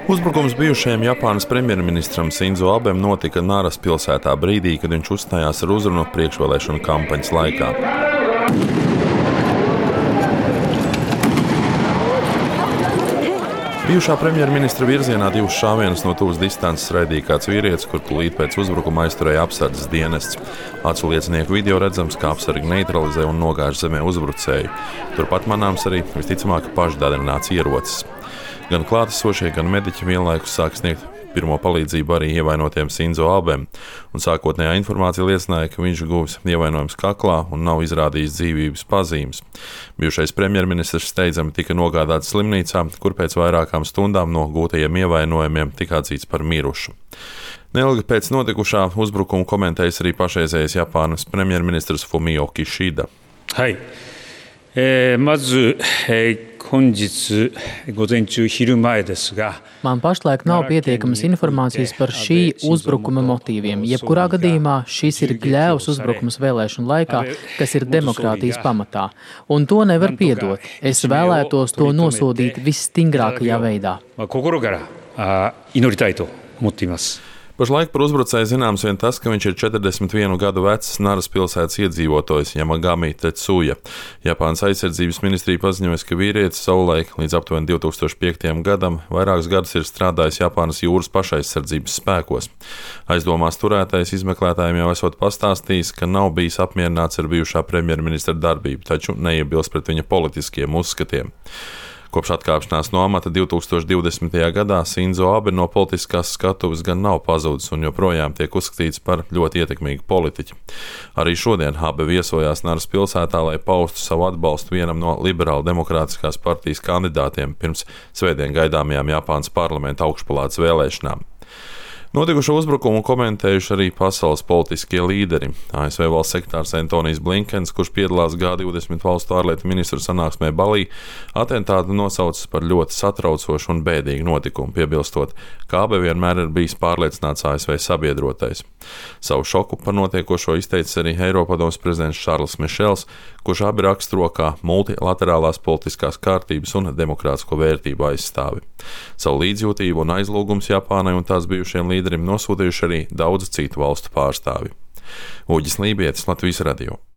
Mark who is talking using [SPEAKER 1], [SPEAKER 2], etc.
[SPEAKER 1] Uzbrukums bijušajam Japānas premjerministram Sinzo Abem notika Naras pilsētā brīdī, kad viņš uzstājās ar uzrunu priekšvēlēšanu kampaņas laikā. Bijušā premjerministra virzienā divus šāvienus no tuvas distances raidīja kāds vīrietis, kur tūlīt pēc uzbrukuma aizturēja apsardzes dienests. Acu liecinieku video redzams, kā apsargi neutralizē un nogāž zemē uzbrucēju. Turpat manāms arī visticamāk pašdadrināts ierocis. Gan klātesošie, gan mediķi vienlaikus sāk sniegt pirmo palīdzību arī ievainotiem Sinzo Abem, un sākotnējā informācija liecināja, ka viņš guvis ievainojums kaklā un nav izrādījis dzīvības pazīmes. Bijušais premjerministrs steidzami tika nogādāts slimnīcā, kur pēc vairākām stundām no gūtajiem ievainojumiem tika atzīts par mirušu. Neilgi pēc notikušā uzbrukuma komentējis arī pašreizējais Japānas premjerministrs Fumio Kishida.
[SPEAKER 2] Man pašlaik nav pietiekamas informācijas par šī uzbrukuma motīviem. Jebkurā gadījumā šis ir gļēvs uzbrukums vēlēšanu laikā, kas ir demokrātijas pamatā. Un to nevar piedot. Es vēlētos to nosodīt visstingrākajā veidā.
[SPEAKER 1] Pašlaik par uzbrucēju zināms vien tas, ka viņš ir 41 gadu vecs Naras pilsētas iedzīvotājs Yamagami Tetsuja. Japānas aizsardzības ministrija paziņoja, ka vīrietis savulaik līdz aptuveni 2005. gadam vairākus gadus ir strādājis Japānas jūras pašaizsardzības spēkos. Aizdomās turētais izmeklētājiem jau esot pastāstījis, ka nav bijis apmierināts ar bijušā premjerministra darbību, taču neiebilst pret viņa politiskiem uzskatiem. Kopš atkāpšanās no amata 2020. gadā Sinzo Abe no politiskās skatuves gan nav pazudis un joprojām tiek uzskatīts par ļoti ietekmīgu politiķu. Arī šodien Abe viesojās Naras pilsētā, lai paustu savu atbalstu vienam no liberāla demokrātiskās partijas kandidātiem pirms svētdien gaidāmajām Japānas parlamenta augšpalātes vēlēšanām. Notikušo uzbrukumu komentējuši arī pasaules politiskie līderi. ASV valsts sekretārs Antonijs Blinkens, kurš piedalās G20 valstu ārlietu ministru sanāksmē Balī, atentātu nosaucis par ļoti satraucošu un bēdīgu notikumu, piebilstot, ka Abe vienmēr ir bijis pārliecināts ASV sabiedrotais. Savu šoku par notiekošo izteicis arī Eiropadomes prezidents Šarls Mišels, kurš Abe raksturo kā multilaterālās politiskās kārtības un demokrātisko vērtību aizstāvi. Savu līdzjūtību un aizlūgums Japānai un tās bijušiem līderim nosūtījuši arī daudzu citu valstu pārstāvi. Uģis Lībietis, Latvijas radio.